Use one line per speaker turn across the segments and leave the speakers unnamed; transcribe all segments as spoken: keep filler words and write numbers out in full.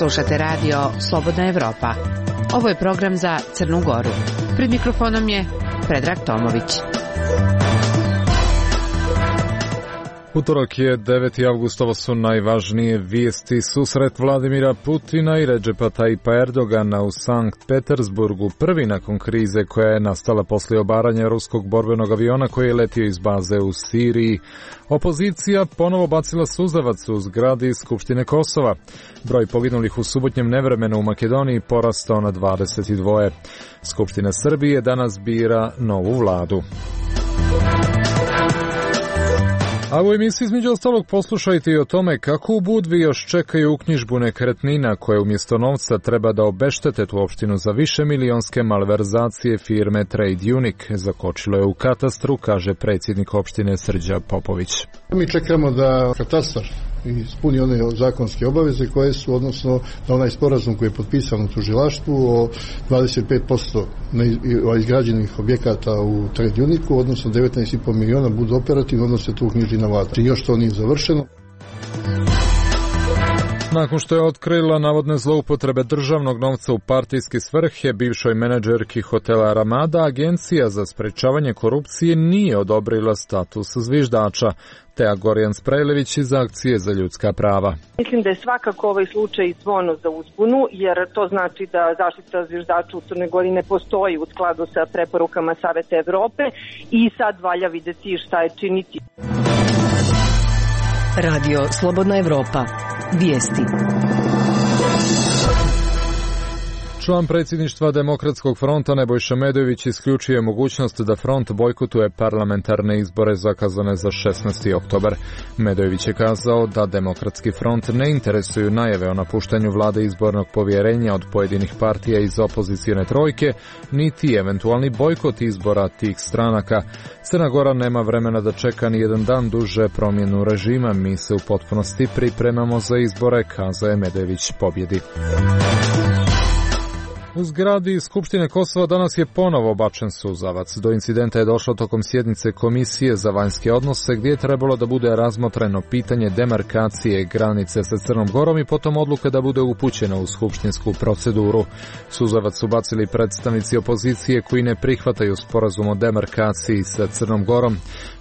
Slušate radio Slobodna Evropa. Ovo je program za Crnu Goru. Pred mikrofonom je Predrag Tomović.
Utorak je deveti avgust, ovo su najvažnije vijesti. Susret Vladimira Putina i Redžepa Tajipa Erdogana u Sankt Petersburgu, prvi nakon krize koja je nastala poslije obaranja ruskog borbenog aviona koji je letio iz baze u Siriji. Opozicija ponovo bacila suzavac u zgradi Skupštine Kosova. Broj poginulih u subotnjem nevremenu u Makedoniji porastao na dvadeset dva. Skupština Srbije danas bira novu vladu. A u emisiji između ostalog poslušajte i o tome kako u Budvi još čekaju uknjižbu nekretnina koje umjesto novca treba da obeštete tu opštinu za više milionske malverzacije firme Trade Unique. Zakočilo je u katastru, kaže predsjednik opštine Srđa Popović.
Mi čekamo da katastar ispuni one zakonske obaveze koje su, odnosno na onaj sporazum koji je potpisan u tužilaštvu o dvadeset pet posto izgrađenih objekata u Trade Unique, odnosno devetnaest zarez pet miliona budu operativni, odnosno se tu uknjiži na vladu. I još to nije završeno.
Nakon što je otkrila navodne zloupotrebe državnog novca u partijske svrhe bivšoj menadžerki hotela Ramada, Agencija za sprečavanje korupcije nije odobrila status zviždača. Teja Gorjan Sprejlević iz Akcije za ljudska prava.
Mislim da je svakako ovaj slučaj zvono za uzbunu, jer to znači da zaštita zviždača u Crnoj Gori ne postoji u skladu sa preporukama Saveta Evrope i sad valja videti šta je činiti.
Radio Slobodna Evropa. Vijesti.
Član predsjedništva Demokratskog fronta Nebojša Medojević isključuje mogućnost da front bojkotuje parlamentarne izbore zakazane za šesnaesti oktobar. Medojević je kazao da Demokratski front ne interesuju najave o napuštanju vlade izbornog povjerenja od pojedinih partija iz opozicijone trojke, niti eventualni bojkot izbora tih stranaka. Crna Gora nema vremena da čeka ni jedan dan duže promjenu režima, mi se u potpunosti pripremamo za izbore, kazao je Medojević pobjedi. U zgradi Skupštine Kosova danas je ponovo bačen suzavac. Do incidenta je došlo tokom sjednice Komisije za vanjske odnose gdje je trebalo da bude razmotreno pitanje demarkacije granice sa Crnom Gorom i potom odluka da bude upućena u skupštinsku proceduru. Suzavac su bacili predstavnici opozicije koji ne prihvataju sporazum o demarkaciji sa Crnom Gorom.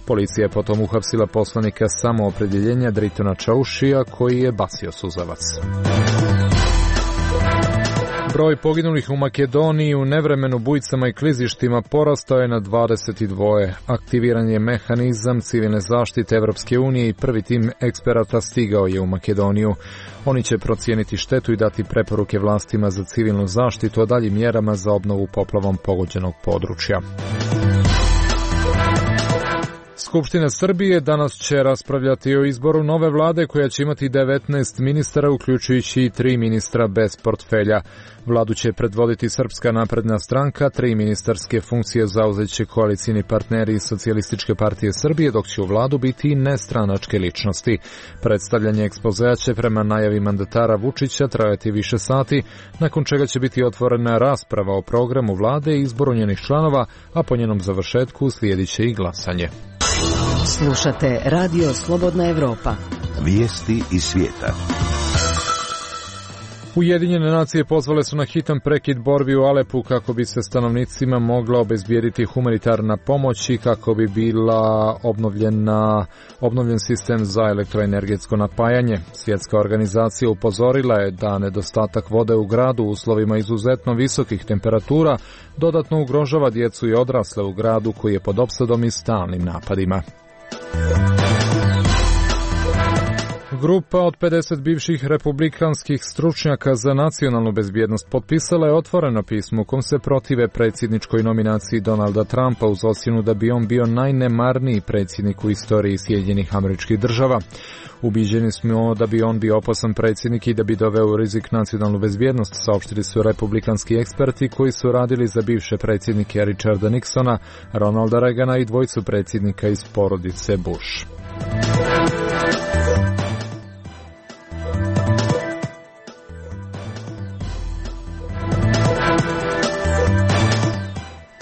Policija je potom uhapsila poslanika samoopredjeljenja Dritona Čaušija koji je bacio suzavac. Broj poginulih u Makedoniji u nevremenu bujicama i klizištima porastao je na dvadeset dva. Aktiviran je mehanizam civilne zaštite Evropske unije i prvi tim eksperata stigao je u Makedoniju. Oni će procijeniti štetu i dati preporuke vlastima za civilnu zaštitu, a daljim mjerama za obnovu poplavom pogođenog područja. Skupština Srbije danas će raspravljati o izboru nove vlade koja će imati devetnaest ministara, uključujući i tri ministra bez portfelja. Vladu će predvoditi Srpska napredna stranka, tri ministarske funkcije zauzeće koalicijni partneri iz Socijalističke partije Srbije, dok će u vladu biti nestranačke ličnosti. Predstavljanje ekspozea će prema najavi mandatara Vučića trajati više sati, nakon čega će biti otvorena rasprava o programu vlade i izboru njenih članova, a po njenom završetku slijedit će i glasanje.
Slušate Radio Slobodna Evropa.
Vijesti iz svijeta.
Ujedinjene nacije pozvale su na hitan prekid borbi u Alepu kako bi se stanovnicima mogla obezbijediti humanitarna pomoć i kako bi bila obnovljena, obnovljen sistem za elektroenergetsko napajanje. Svjetska organizacija upozorila je da nedostatak vode u gradu u uslovima izuzetno visokih temperatura dodatno ugrožava djecu i odrasle u gradu koji je pod opsadom i stalnim napadima. Grupa od pedeset bivših republikanskih stručnjaka za nacionalnu bezbjednost potpisala je otvoreno pismo u kom se protive predsjedničkoj nominaciji Donalda Trumpa uz ocjenu da bi on bio najnemarniji predsjednik u istoriji Sjedinjenih Američkih Država. Ubiđeni smo da bi on bio opasan predsjednik i da bi doveo u rizik nacionalnu bezbjednost, saopštili su republikanski eksperti koji su radili za bivše predsjednike Richarda Nixona, Ronalda Reagana i dvojicu predsjednika iz porodice Bush.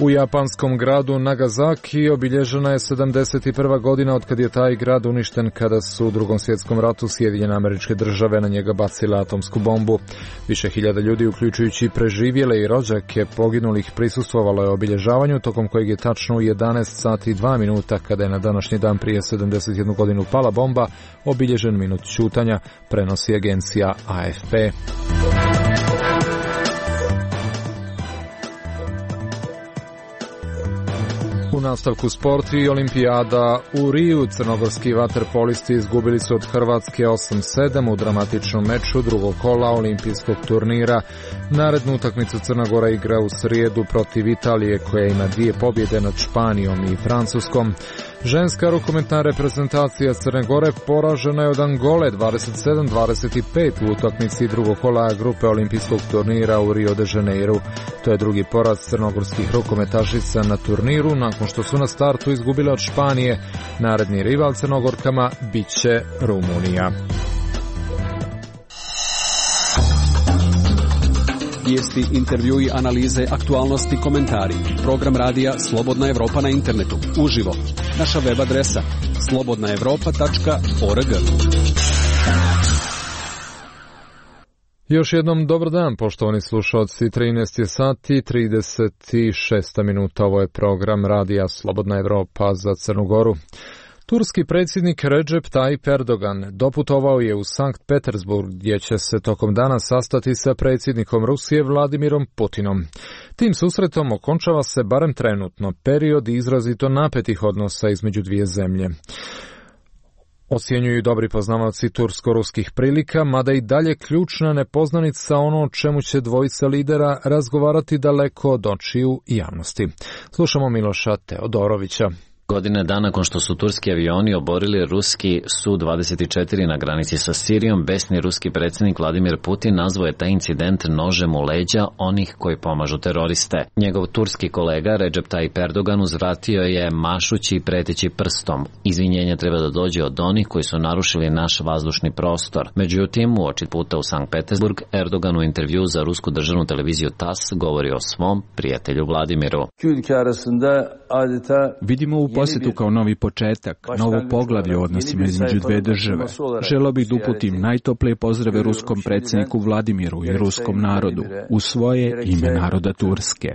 U japanskom gradu Nagasaki obilježena je sedamdeset prva godina od kad je taj grad uništen kada su u Drugom svjetskom ratu Sjedinjene Američke Države na njega bacile atomsku bombu. Više hiljada ljudi, uključujući preživjele i rođake poginulih, prisustvovalo je obilježavanju, tokom kojeg je tačno u jedanaest sati i dva minuta, kada je na današnji dan prije sedamdeset jednu godinu pala bomba, obilježen minut ćutanja, prenosi agencija A F P. U nastavku sport i olimpijada u Riju, crnogorski vaterpolisti izgubili su od Hrvatske osam sedam u dramatičnom meču drugog kola olimpijskog turnira. Narednu utakmicu Crna Gora igra u srijedu protiv Italije, koja ima dvije pobjede nad Španijom i Francuskom. Ženska rukometna reprezentacija Crne Gore poražena je od Angole dvadeset sedam dvadeset pet u utakmici drugog kola grupe olimpijskog turnira u Rio de Janeiru. To je drugi poraz crnogorskih rukometašica na turniru nakon što su na startu izgubile od Španije. Naredni rival Crnogorkama biće Rumunija.
Vijesti, intervjui, analize, aktualnosti, komentari. Program radija Slobodna Evropa na internetu. Uživo. Naša web adresa slobodna evropa tačka org.
Još jednom dobar dan, poštovani slušalci. trinaest je sati trideset šest minuta. Ovo je program radija Slobodna Evropa za Crnu Goru. Turski predsjednik Recep Tayyip Erdogan doputovao je u Sankt Petersburg, gdje će se tokom dana sastati sa predsjednikom Rusije Vladimirom Putinom. Tim susretom okončava se barem trenutno period izrazito napetih odnosa između dvije zemlje. Ocjenjuju dobri poznavaoci tursko-ruskih prilika, mada i dalje ključna nepoznanica ono o čemu će dvojica lidera razgovarati daleko od očiju i javnosti. Slušamo Miloša Teodorovića.
Godine dana nakon što su turski avioni oborili ruski Su dvadeset četiri na granici sa Sirijom, besni ruski predsjednik Vladimir Putin nazvao je taj incident nožem u leđa onih koji pomažu teroriste. Njegov turski kolega Recep Tayyip Erdogan uzvratio je mašući i preteći prstom. Izvinjenje treba da dođe od onih koji su narušili naš vazdušni prostor. Međutim, uoči puta u Sankt Petersburg, Erdogan u intervju za rusku državnu televiziju T A S govori o svom prijatelju Vladimiru.
Vidimo u posjetu kao novi početak, novo poglavlje u odnosima između dve države. Želeo bih da uputim najtoplije pozdrave ruskom predsjedniku Vladimiru i ruskom narodu u svoje ime naroda Turske.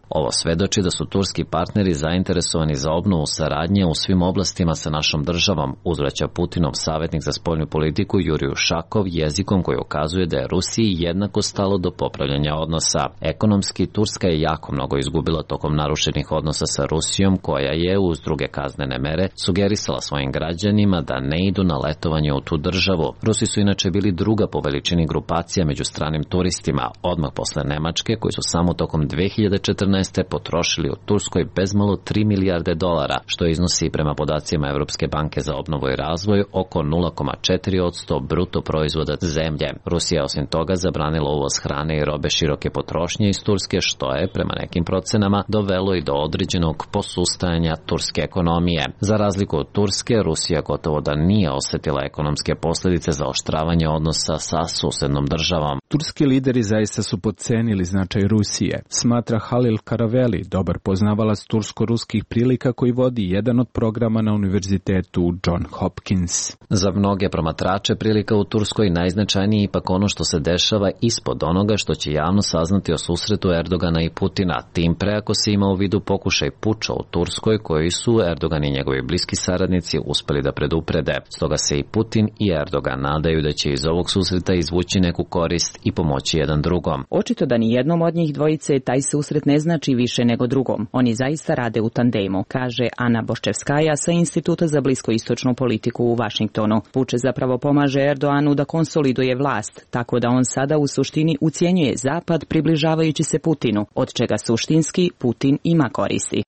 Ovo svedoči da su turski partneri zainteresovani za obnovu saradnje u svim oblastima sa našom državom, uzvraća Putinov savjetnik za spoljnu politiku Jurij Ušakov jezikom koji ukazuje da je Rusiji jednako stalo do popravljanja odnosa. Ekonomski, Turska je jako mnogo izgubila tokom narušenih odnosa sa Rusijom, koja je uz druge kaznene mere sugerisala svojim građanima da ne idu na letovanje u tu državu. Rusi su inače bili druga po veličini grupacija među stranim turistima, odmah posle Nemačke, koji su samo tokom dve hiljade četrnaeste. potrošili u Turskoj bezmalo tri milijarde dolara, što iznosi prema podacima Evropske banke za obnovu i razvoj oko nula zarez četiri posto bruto proizvoda zemlje. Rusija osim toga zabranila uvoz hrane i robe široke potrošnje iz Turske, što je prema nekim procenama dovelo i do određenog posustajanja turske ekonomije. Za razliku od Turske, Rusija gotovo da nije osjetila ekonomske posljedice zaoštravanja odnosa sa susednom državom.
Turski lideri zaista su podcenili značaj Rusije, smatra Halil Karaveli, dobar poznavalac tursko-ruskih prilika koji vodi jedan od programa na univerzitetu John Hopkins.
Za mnoge promatrače prilika u Turskoj najznačajniji ipak ono što se dešava ispod onoga što će javno saznati o susretu Erdogana i Putina, tim pre ako se ima u vidu pokušaj puča u Turskoj koji su Erdogan i njegovi bliski saradnici uspeli da preduprede. Stoga se i Putin i Erdogan nadaju da će iz ovog susreta izvući neku korist i pomoći jedan drugom.
Očito da ni jednom od njih dvojice taj susret ne znači više nego drugom. Oni zaista rade u tandemu, kaže Ana Boščevskaja sa Instituta za bliskoistočnu politiku u Vašingtonu. Puč zapravo pomaže Erdoganu da konsoliduje vlast, tako da on sada u suštini ucjenjuje Zapad približavajući se Putinu, od čega suštinski Putin ima koristi.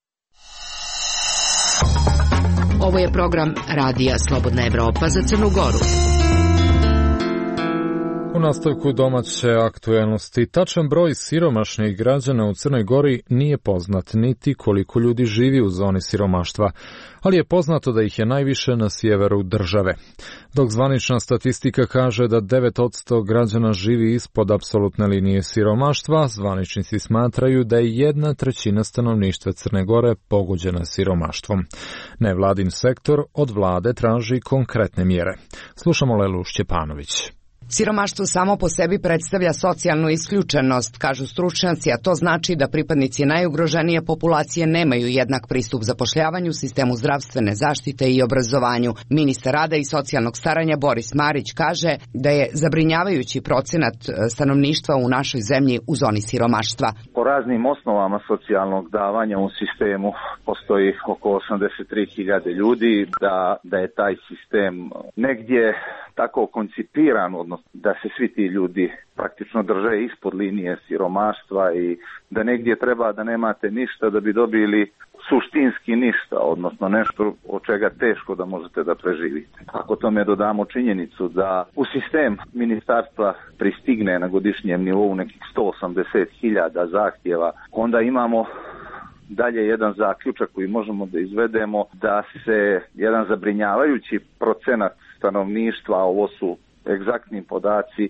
Ovo je program radija Slobodna Evropa za Crnu Goru.
U nastavku domaće aktuelnosti, tačan broj siromašnih građana u Crnoj Gori nije poznat, niti koliko ljudi živi u zoni siromaštva, ali je poznato da ih je najviše na sjeveru države. Dok zvanična statistika kaže da devet posto građana živi ispod apsolutne linije siromaštva, zvaničnici smatraju da je jedna trećina stanovništva Crne Gore pogođena siromaštvom. Nevladin sektor od vlade traži konkretne mjere. Slušamo Lelu Šćepanović.
Siromaštvo samo po sebi predstavlja socijalnu isključenost, kažu stručnjaci, a to znači da pripadnici najugroženije populacije nemaju jednak pristup zapošljavanju, sistemu zdravstvene zaštite i obrazovanju. Ministar rada i socijalnog staranja Boris Marić kaže da je zabrinjavajući procenat stanovništva u našoj zemlji u zoni siromaštva.
Po raznim osnovama socijalnog davanja u sistemu postoji oko osamdeset tri hiljade ljudi, da, da je taj sistem negdje tako koncipiran, odnosno da se svi ti ljudi praktično drže ispod linije siromaštva i da negdje treba da nemate ništa da bi dobili suštinski ništa, odnosno nešto od čega teško da možete da preživite. Ako tome dodamo činjenicu da u sistem ministarstva pristigne na godišnjem nivou nekih sto osamdeset hiljada zahtjeva, onda imamo dalje jedan zaključak koji možemo da izvedemo da se jedan zabrinjavajući procenat stanovništva, ovo su egzaktni podaci,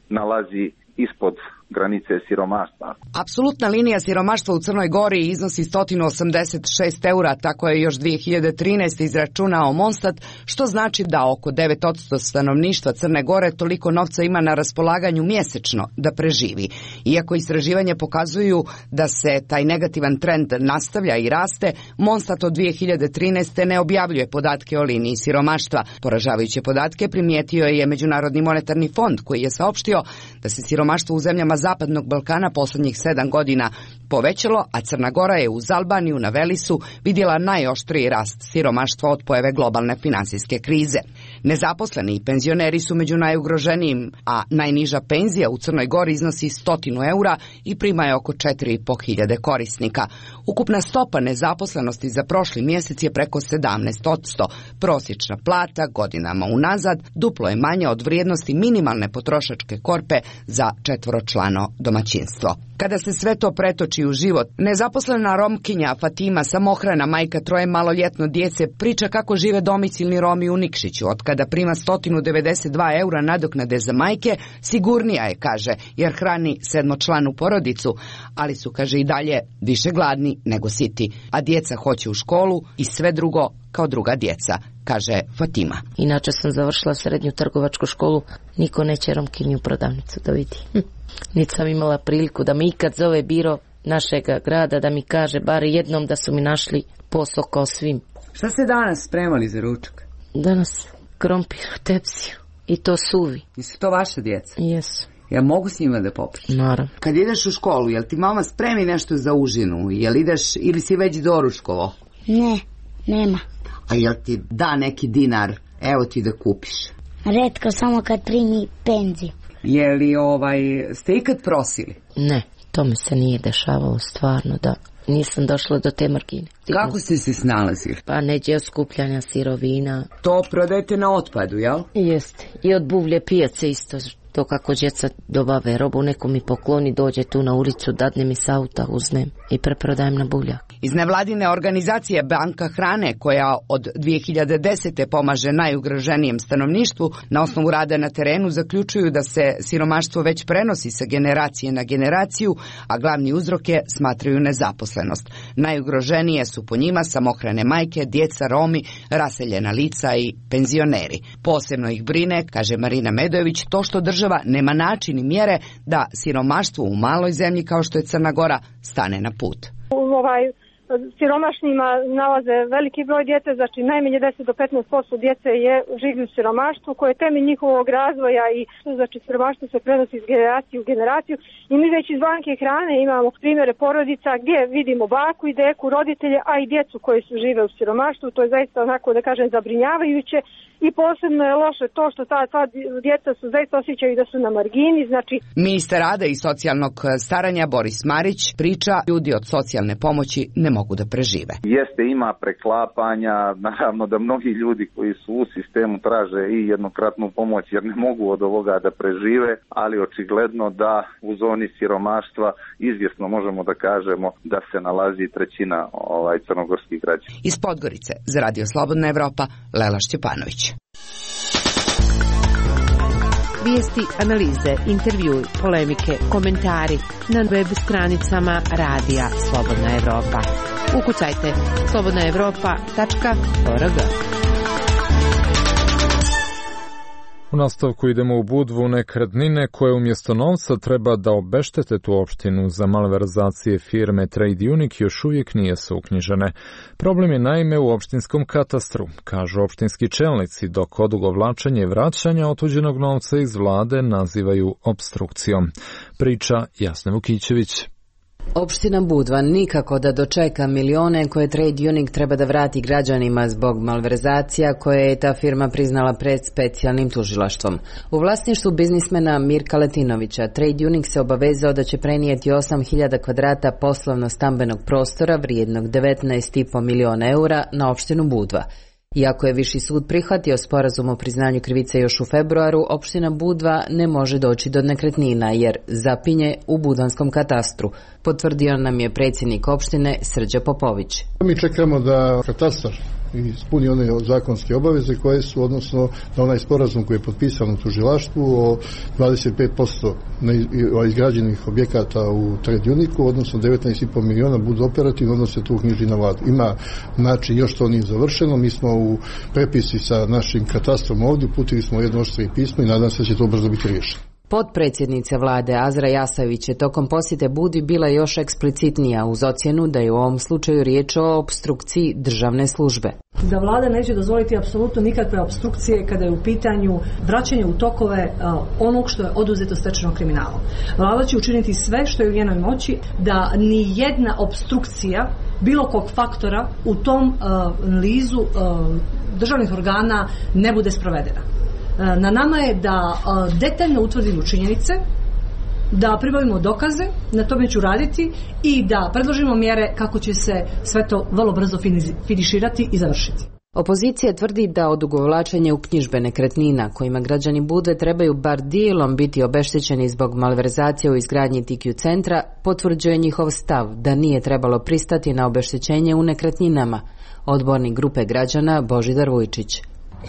nalazi ispod granice siromaštva.
Apsolutna linija siromaštva u Crnoj Gori iznosi sto osamdeset šest eura, tako je još dvije hiljade trinaeste. izračunao Monstat, što znači da oko devet posto stanovništva Crne Gore toliko novca ima na raspolaganju mjesečno da preživi. Iako istraživanje pokazuju da se taj negativan trend nastavlja i raste, Monstat od dvije hiljade trinaeste. ne objavljuje podatke o liniji siromaštva. Poražavajuće podatke primijetio je Međunarodni monetarni fond, koji je saopštio da se siromaštvo u zemljama Zapadnog Balkana posljednjih sedam godina povećalo, a Crna Gora je uz Albaniju na Velisu vidjela najoštriji rast siromaštva od pojave globalne finansijske krize. Nezaposleni i penzioneri su među najugroženijim, a najniža penzija u Crnoj Gori iznosi sto eura i prima je oko četiri i po hiljade korisnika. Ukupna stopa nezaposlenosti za prošli mjesec je preko sedamnaest posto. Prosječna plata godinama unazad duplo je manja od vrijednosti minimalne potrošačke korpe za četvoročlano domaćinstvo. Kada se sve to pretoči u život, nezaposlena Romkinja Fatima, samohrana majka troje maloljetno djece, priča kako žive domicilni Romi u Nikšiću. Od kada prima sto devedeset dva eura nadoknade za majke, sigurnija je, kaže, jer hrani sedmočlanu porodicu, ali su, kaže, i dalje više gladni nego siti, a djeca hoće u školu i sve drugo kao druga djeca, kaže Fatima.
Inače sam završila srednju trgovačku školu, niko neće Romkinju prodavnicu da vidi. Hm. Niti sam imala priliku da mi ikad zove biro našega grada da mi kaže bar jednom da su mi našli posao kao svim.
Šta ste danas spremali za ručak?
Danas krompir u tepsiju i to suvi.
Jesu to vaše djeca?
Jesu.
Ja mogu s njima da popričam?
Naravno.
Kad ideš u školu, jel ti mama spremi nešto za užinu? Jel ideš ili si već doručkovo?
Ne, nema.
A jel ti da neki dinar, evo ti da kupiš?
Retko, samo kad primi penziju.
Je li ovaj, ste ikad prosili?
Ne, to mi se nije dešavalo stvarno, da nisam došla do te margine.
Kako ste se snalazili?
Pa neđe od skupljanja sirovina.
To prodajete na otpadu, jel?
Jeste. I od buvlje pijace isto. To kako djeca dobave robu, neko mi pokloni, dođe tu na ulicu, dadne mi s auta, uzmem i preprodajem na buvljak.
Iz nevladine organizacije Banka hrane, koja od dvije hiljade desete. pomaže najugroženijem stanovništvu, na osnovu rada na terenu zaključuju da se siromaštvo već prenosi sa generacije na generaciju, a glavni uzrok je, smatraju, nezaposlenost. Najugroženije su po njima samohrane majke, djeca, Romi, raseljena lica i penzioneri. Posebno ih brine, kaže Marina Medojević, to što država nema način i mjere da siromaštvo u maloj zemlji kao što je Crna Gora stane na put.
Ovaj siromašnima nalaze veliki broj djece, znači najmanje deset do petnaest posto djece je živi u siromaštvu, koje je temelj njihovog razvoja i znači siromaštvo se prenosi iz generacije u generaciju. I mi već iz Banke hrane imamo primjere porodica gdje vidimo baku i deku, roditelje, a i djecu koji su žive u siromaštvu. To je zaista onako, da kažem, zabrinjavajuće. I posebno je loše to što ta, ta djeca su zaista osjećaju da su na margini, znači...
Ministar rada i socijalnog staranja Boris Marić priča, ljudi od socijalne pomoći ne mogu mogu da prežive.
Jeste, ima preklapanja, naravno da mnogi ljudi koji su u sistemu traže i jednokratnu pomoć jer ne mogu od ovoga da prežive, ali očigledno da u zoni siromaštva izvjesno možemo da kažemo da se nalazi trećina ovaj, crnogorskih građana.
Iz Podgorice za Radio Slobodna Evropa, Lela Šćepanović.
Vijesti, analize, intervjui, polemike, komentari na web stranicama Radija Slobodna Evropa. Ukucajte slobodna evropa tačka org.
U nastavku idemo u Budvu. Nekretnine koje umjesto novca treba da obeštete tu opštinu za malverzacije firme Trade Unique još uvijek nisu uknjižene. Problem je naime u opštinskom katastru, kažu opštinski čelnici, dok odugovlačenje vraćanja otuđenog novca iz vlade nazivaju opstrukcijom. Priča Jasne Vukićević.
Opština Budva nikako da dočeka milione koje Trade Unique treba da vrati građanima zbog malverzacija koje je ta firma priznala pred specijalnim tužilaštvom. U vlasništvu biznismena Mirka Letinovića Trade Unique se obavezao da će prenijeti osam hiljada kvadrata poslovno-stambenog prostora vrijednog devetnaest i po miliona eura na opštinu Budva. Iako je Viši sud prihvatio sporazum o priznanju krivice još u februaru, opština Budva ne može doći do nekretnina jer zapinje u budvanskom katastru, potvrdio nam je predsjednik opštine Srđa Popović.
Mi čekamo da katastar ispuni one zakonske obaveze koje su, odnosno da onaj sporazum koji je potpisan u tužilaštvu o dvadeset pet posto izgrađenih objekata u Trade Unique, odnosno devetnaest i po miliona budu operativni, odnosno se tu uknjiži na vladu. Ima način, još to nije završeno, mi smo u prepisi sa našim katastrom ovdje, uputili smo jedno oštre pismo i nadam se da će to brzo biti riješeno.
Potpredsjednica vlade Azra Jasavić je tokom posjete Budvi bila još eksplicitnija uz ocjenu da je u ovom slučaju riječ o opstrukciji državne službe.
Da vlada neće dozvoliti apsolutno nikakve opstrukcije kada je u pitanju vraćanje u tokove uh, onog što je oduzeto stečenom kriminalom. Vlada će učiniti sve što je u njenoj moći da ni jedna opstrukcija bilo kog faktora u tom uh, lizu uh, državnih organa ne bude sprovedena. Na nama je da detaljno utvrdimo činjenice, da pribavimo dokaze, na tome ću raditi i da predložimo mjere kako će se sve to vrlo brzo finiširati i završiti.
Opozicija tvrdi da odugovlačenje uknjižbe nekretnina kojima građani Budve trebaju bar dijelom biti obeštećeni zbog malverzacije u izgradnji T Q centra potvrđuje njihov stav da nije trebalo pristati na obeštećenje u nekretninama. Odbornik grupe građana Božidar Vujčić.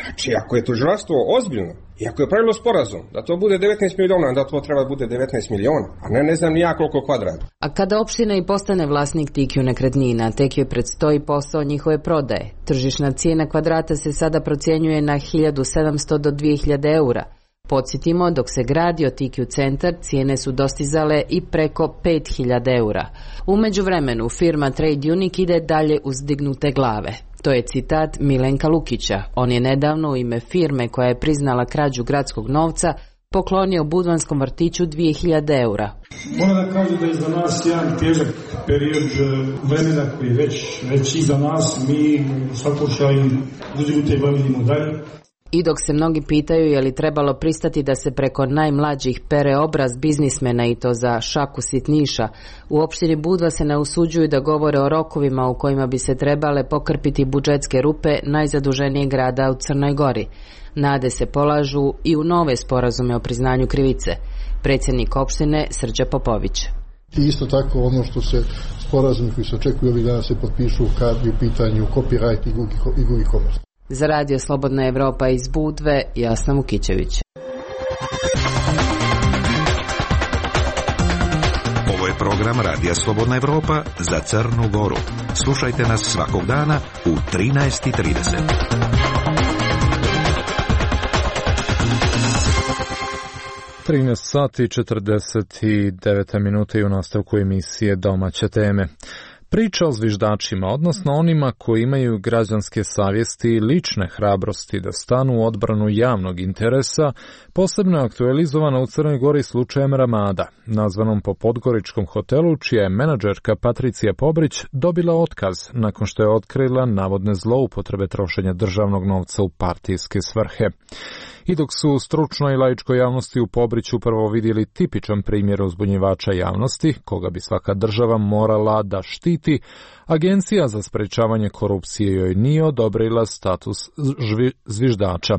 Znači, ako je tužilaštvo ozbiljno i ako je pravilo sporazum da to bude devetnaest miliona, da to treba bude devetnaest miliona, a ne ne znam ni ja koliko kvadrata.
A kada opština i postane vlasnik T Q nekretnina, tek joj predstoji posao njihove prodaje. Tržišna cijena kvadrata se sada procjenjuje na hiljadu sedamsto do dvije hiljade eura. Podsjetimo, dok se gradio T Q centar, cijene su dostizale i preko pet hiljada eura. U međuvremenu, firma Trade Unique ide dalje uz dignute glave. To je citat Milenka Lukića. On je nedavno u ime firme koja je priznala krađu gradskog novca poklonio budvanskom vrtiću dvije hiljade eura.
Moram da kažem da je za nas jedan težak period vremena koji je već, već iza nas. Mi u svakom slučaju uzimute bavimo dalje.
I dok se mnogi pitaju je li trebalo pristati da se preko najmlađih pere obraz biznismena i to za šaku sitniša, u opštini Budva se ne usuđuju da govore o rokovima u kojima bi se trebale pokrpiti budžetske rupe najzaduženijeg grada u Crnoj Gori. Nade se polažu i u nove sporazume o priznanju krivice. Predsjednik opštine Srđa Popović.
I isto tako ono što se sporazumi koji se očekuju ovih dana se potpišu kad je u pitanju copyright i drugi komers.
Za Radio Slobodna Evropa iz Budve, Jasna Vukićević.
Ovo je program Radija Slobodna Evropa za Crnu Goru. Slušajte nas svakog dana u trinaest i trideset.
trinaest sati i četrdeset devet minuta i u nastavku emisije Domaće teme. Priča o zviždačima, odnosno onima koji imaju građanske savjesti i lične hrabrosti da stanu u odbranu javnog interesa, posebno je aktualizovana u Crnoj Gori slučajem Ramada, nazvanom po podgoričkom hotelu, čija je menadžerka Patricija Pobrić dobila otkaz nakon što je otkrila navodne zloupotrebe trošenja državnog novca u partijske svrhe. I dok su u stručnoj i laičkoj javnosti u Pobriću upravo vidjeli tipičan primjer uzbunjivača javnosti, koga bi svaka država morala da štiti, Agencija za sprečavanje korupcije joj nije odobrila status žvi, zviždača.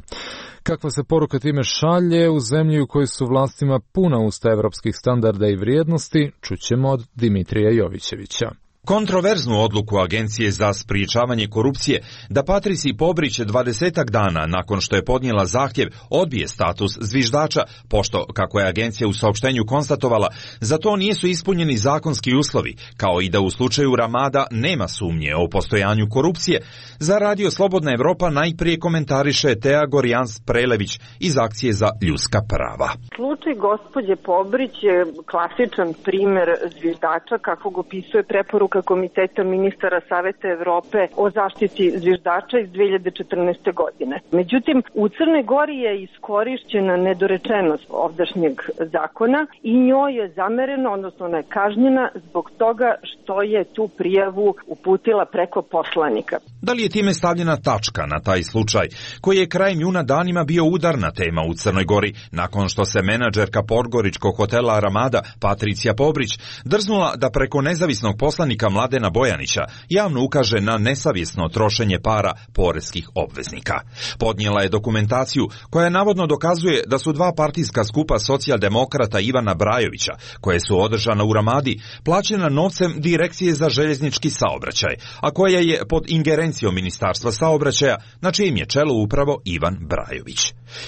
Kakva se poruka time šalje u zemlji u kojoj su vlastima puna usta evropskih standarda i vrijednosti, čućemo od Dimitrija Jovićevića.
Kontroverznu odluku Agencije za sprječavanje korupcije da Patriciji Pobrić dvadesetak dana nakon što je podnijela zahtjev odbije status zviždača, pošto, kako je agencija u saopštenju konstatovala, za to nisu ispunjeni zakonski uslovi, kao i da u slučaju Ramada nema sumnje o postojanju korupcije, za Radio Slobodna Evropa najprije komentariše Tea Gorjans-Prelević iz Akcije za ljudska prava.
Slučaj gospođe Pobrić je klasičan primer zviždača kakvog opisuje preporuka Komiteta ministara Saveta Evrope o zaštiti zviždača iz dve hiljade četrnaeste. godine. Međutim, u Crnoj Gori je iskorišćena nedorečenost ovdašnjeg zakona i njoj je zamereno, odnosno ona je kažnjena zbog toga što je tu prijavu uputila preko poslanika.
Da li je time stavljena tačka na taj slučaj, koji je krajem juna danima bio udarna tema u Crnoj Gori, nakon što se menadžerka podgoričkog hotela Ramada, Patricija Pobrić, drznula da preko nezavisnog poslanika Mladena Bojanića javno ukaže na nesavjesno trošenje para poreskih obveznika. Podnijela je dokumentaciju koja navodno dokazuje da su dva partijska skupa socijaldemokrata Ivana Brajovića, koje su održana u Ramadi, plaćena novcem Direkcije za željeznički saobraćaj, a koja je pod ingerencijom Ministarstva saobraćaja, na čijem je čelu upravo Ivan Brajović.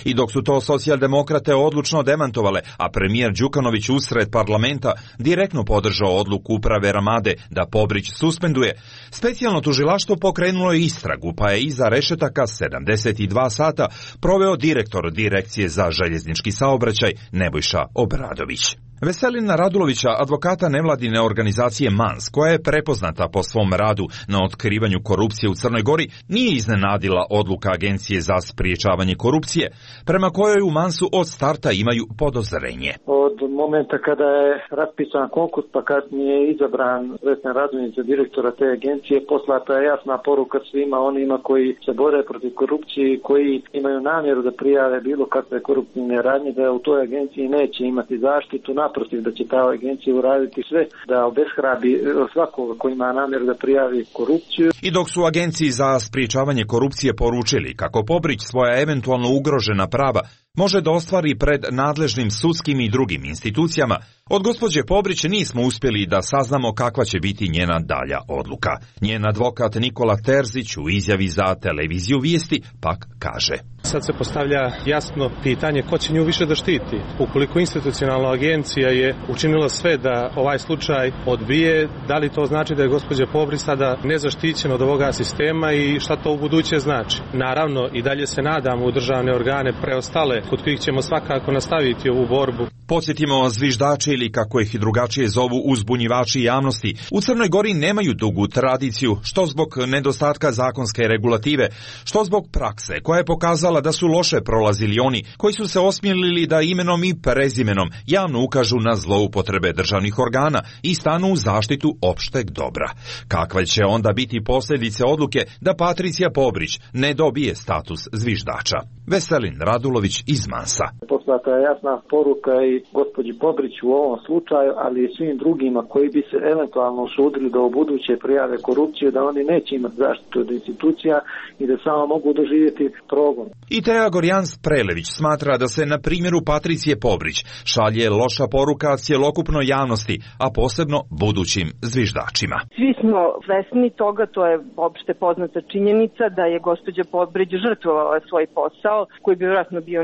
I dok su to socijaldemokrate odlučno demantovale, a premijer Đukanović usred parlamenta direktno podržao odluku uprave Ramade da Pobrić suspenduje, specijalno tužilaštvo pokrenulo je istragu, pa je iza rešetaka sedamdeset dva sata proveo direktor Direkcije za željeznički saobraćaj Nebojša Obradović. Veselina Radulovića, advokata nevladine organizacije MANS, koja je prepoznata po svom radu na otkrivanju korupcije u Crnoj Gori, nije iznenadila odluka Agencije za spriječavanje korupcije, prema kojoj u MANS-u od starta imaju podozrenje.
Od momenta kada je raspisan konkurs, pa kasnije je izabran Vesna Radulović za direktora te agencije, poslata je jasna poruka svima onima koji se bore protiv korupcije i koji imaju namjeru da prijave bilo kakve koruptivne radnje, da u toj agenciji neće imati zaštitu, naprotiv da će ta agencija uraditi sve da obeshrabi svakoga koji ima namjeru da prijavi korupciju.
I dok su Agenciji za sprječavanje korupcije poručili kako Pobrić svoja eventualno ugrožena prava može da ostvari pred nadležnim sudskim i drugim institucijama, od gospođe Pobrić nismo uspjeli da saznamo kakva će biti njena dalja odluka. Njen advokat Nikola Terzić u izjavi za televiziju Vijesti pak kaže:
Sad se postavlja jasno pitanje ko će nju više da štiti. Ukoliko institucionalna agencija je učinila sve da ovaj slučaj odbije, da li to znači da je gospođa Pobrić sada nezaštićena od ovoga sistema i šta to u buduće znači? Naravno, i dalje se nadamo u državne organe preostale, kod kojih ćemo svakako nastaviti ovu borbu.
Podsjetimo, zviždači ili kako ih i drugačije zovu uzbunjivači javnosti u Crnoj Gori nemaju dugu tradiciju, što zbog nedostatka zakonske regulative, što zbog prakse koja je pokazala da su loše prolazili oni koji su se osmjelili da imenom i prezimenom javno ukažu na zloupotrebe državnih organa i stanu u zaštitu opšteg dobra. Kakve će onda biti posljedice odluke da Patricija Pobrić ne dobije status zviždača? Veselin Radulović iz MANS-a.
Poslata je jasna poruka i gospođi Pobrić u ovom slučaju, ali i svim drugima koji bi se eventualno usudili da u buduće prijave korupciju, da oni neće imati zaštitu od institucija i da samo mogu doživjeti progon.
I Tea Gorjans-Prelević smatra da se na primjeru Patricije Pobrić šalje loša poruka cjelokupnoj javnosti, a posebno budućim zviždačima.
Svi smo svesni toga, to je opšte poznata činjenica da je gospođa Pobrić žrtvovala svoj posao, koji bi vjerojatno bio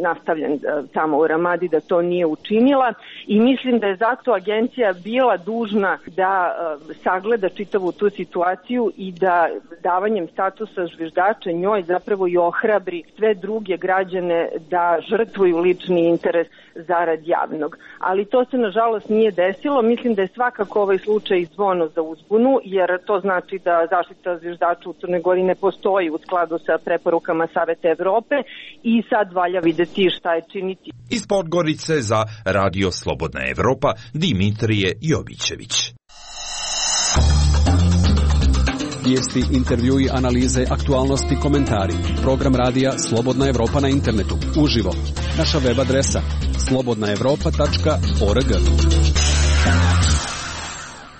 nastavljen tamo u Ramadi, da to nije učinila, i mislim da je zato agencija bila dužna da sagleda čitavu tu situaciju i da davanjem statusa zviždača njoj zapravo i ohrabri sve druge građane da žrtvuju lični interes zarad javnog. Ali to se nažalost nije desilo. Mislim da je svakako ovaj slučaj zvono za uzbunu, jer to znači da zaštita zviždača u Crnoj Gori ne postoji u skladu sa preporukama Saveta Evrope i sad valja videti šta je činiti.
Iz Podgorice za Radio Slobodna Evropa, Dimitrije Jovićević.
Vijesti, intervjui, analize, aktualnosti, komentari. Program radija Slobodna Evropa na internetu. Uživo. Naša web adresa slobodna evropa tačka org.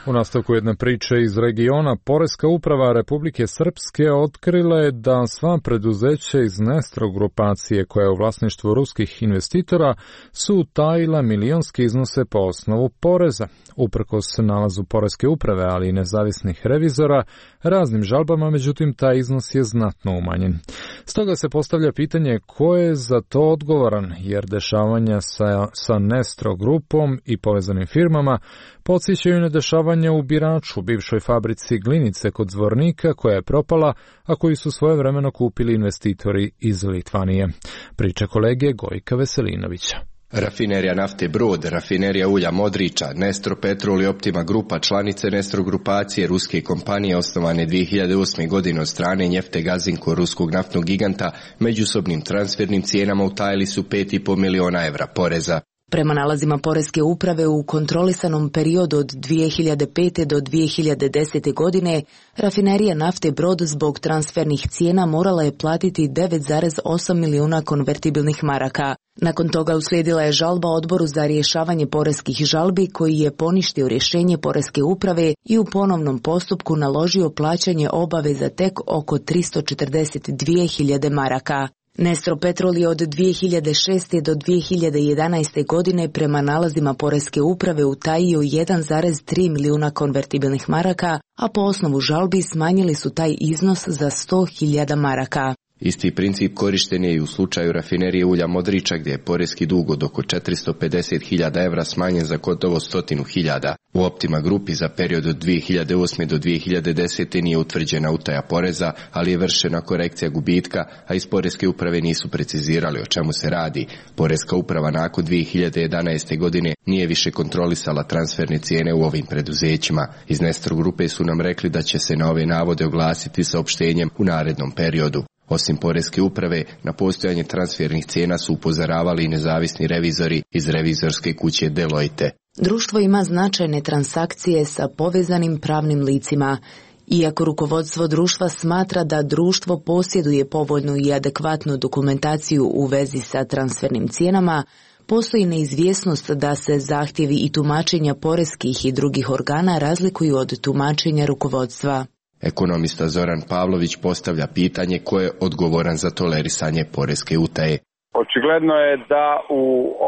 U nastavku jedne priče iz regiona, Poreska uprava Republike Srpske otkrila je da sva preduzeća iz Nestro grupacije koja je u vlasništvu ruskih investitora su utajila milionske iznose po osnovu poreza. Uprkos nalazu Poreske uprave, ali i nezavisnih revizora, raznim žalbama, međutim, taj iznos je znatno umanjen. Stoga se postavlja pitanje ko je za to odgovoran, jer dešavanja sa, sa Nestro grupom i povezanim firmama podsjećaju na dešavanja u Biraču, bivšoj fabrici glinice kod Zvornika koja je propala, a koju su svojevremeno kupili investitori iz Litvanije. Priča kolege Gojka Veselinovića.
Rafinerija nafte Brod, rafinerija ulja Modriča, Nestro Petrol i Optima Grupa, članice Nestro grupacije, ruske kompanije osnovane dvije hiljade osme. godine od strane Njefte Gazinko, ruskog naftnog giganta, međusobnim transfernim cijenama utajili su pet i po miliona evra poreza.
Prema nalazima Poreske uprave u kontrolisanom periodu od dvije hiljade pete. do dvije hiljade desete. godine, rafinerija nafte Brod zbog transfernih cijena morala je platiti devet zarez osam milijuna konvertibilnih maraka. Nakon toga uslijedila je žalba Odboru za rješavanje poreskih žalbi koji je poništio rješenje Poreske uprave i u ponovnom postupku naložio plaćanje obaveza tek oko tristo četrdeset dvije hiljade maraka. Nestro Petrol je od dvije hiljade šeste. do dvije hiljade jedanaeste. godine prema nalazima Poreske uprave utajio jedan zarez tri milijuna konvertibilnih maraka, a po osnovu žalbi smanjili su taj iznos za sto hiljada maraka.
Isti princip korišten je i u slučaju rafinerije ulja Modriča gdje je poreski dug od oko četiristo pedeset hiljada evra smanjen za gotovo stotinu hiljada. U Optima grupi za period od dvije hiljade osme. do dvije hiljade desete. nije utvrđena utaja poreza, ali je vršena korekcija gubitka, a iz Poreske uprave nisu precizirali o čemu se radi. Poreska uprava nakon dvije hiljade jedanaeste. godine nije više kontrolisala transferne cijene u ovim preduzećima. Iz Nestro grupe su nam rekli da će se na ove navode oglasiti saopštenjem u narednom periodu. Osim Poreske uprave, na postojanje transfernih cijena su upozoravali i nezavisni revizori iz revizorske kuće Deloitte.
Društvo ima značajne transakcije sa povezanim pravnim licima. Iako rukovodstvo društva smatra da društvo posjeduje povoljnu i adekvatnu dokumentaciju u vezi sa transfernim cijenama, postoji neizvjesnost da se zahtjevi i tumačenja poreskih i drugih organa razlikuju od tumačenja rukovodstva.
Ekonomista Zoran Pavlović postavlja pitanje ko je odgovoran za tolerisanje poreske utaje.
Očigledno je da u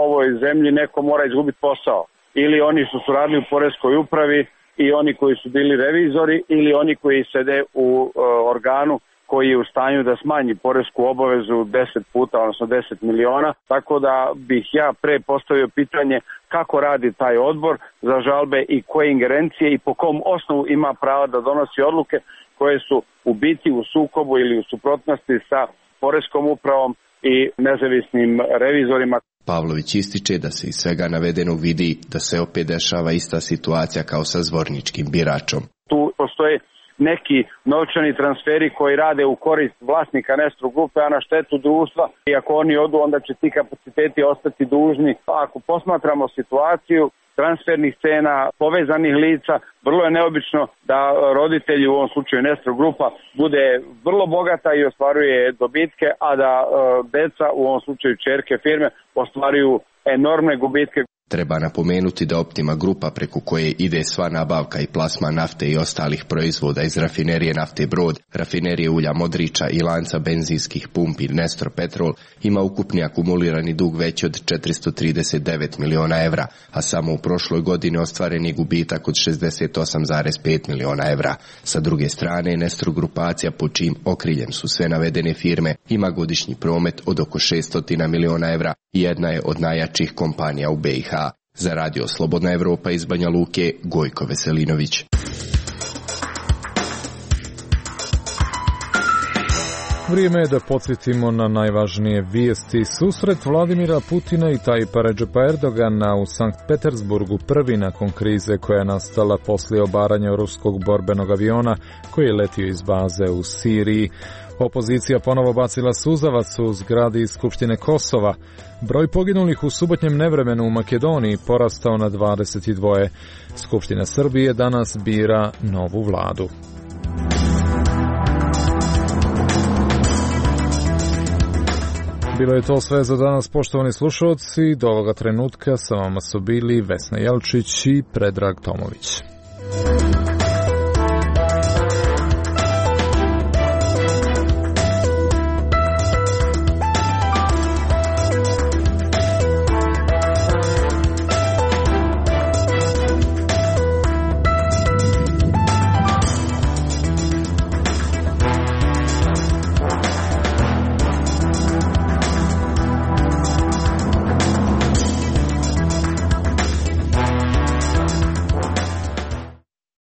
ovoj zemlji neko mora izgubiti posao. Ili oni što su radili u poreskoj upravi i oni koji su bili revizori ili oni koji sede u uh, organu koji je u stanju da smanji poresku obavezu deset puta, odnosno deset miliona. Tako da bih ja pre postavio pitanje kako radi taj odbor za žalbe i koje ingerencije i po kom osnovu ima prava da donosi odluke koje su u biti u sukobu ili u suprotnosti sa poreskom upravom i nezavisnim revizorima.
Pavlović ističe da se iz svega navedenog vidi da se opet dešava ista situacija kao sa Zvorničkim Biračom.
Tu postoje neki novčani transferi koji rade u korist vlasnika Nestro grupe, a na štetu društva. I ako oni odu, onda će ti kapaciteti ostati dužni. Ako posmatramo situaciju transfernih cena, povezanih lica, vrlo je neobično da roditelji, u ovom slučaju Nestro grupa, bude vrlo bogata i ostvaruje dobitke, a da e, deca, u ovom slučaju ćerke firme, ostvaruju enormne gubitke.
Treba napomenuti da Optima grupa preko koje ide sva nabavka i plasma nafte i ostalih proizvoda iz rafinerije nafte Brod, rafinerije ulja Modriča i lanca benzinskih pumpi Nestro Petrol ima ukupni akumulirani dug veći od četiristo trideset devet miliona evra, a samo u prošloj godini ostvaren je gubitak od šezdeset osam zarez pet miliona evra. Sa druge strane, Nestro grupacija pod čijim okriljem su sve navedene firme ima godišnji promet od oko šesto miliona evra i jedna je od najjačih kompanija u B i H. Za radio Slobodna Evropa iz Banja Luke, Gojko Veselinović.
Vrijeme je da podsjetimo na najvažnije vijesti. Susret Vladimira Putina i Tajpa Redžepa Erdogana u Sankt Petersburgu, prvi nakon krize koja je nastala poslije obaranja ruskog borbenog aviona koji je letio iz baze u Siriji. Opozicija ponovo bacila suzavac u zgradi Skupštine Kosova. Broj poginulih u subotnjem nevremenu u Makedoniji porastao na dvadeset dva. Skupština Srbije danas bira novu vladu. Bilo je to sve za danas, poštovani slušalci. Do ovoga trenutka sa vama su bili Vesna Jelčić i Predrag Tomović.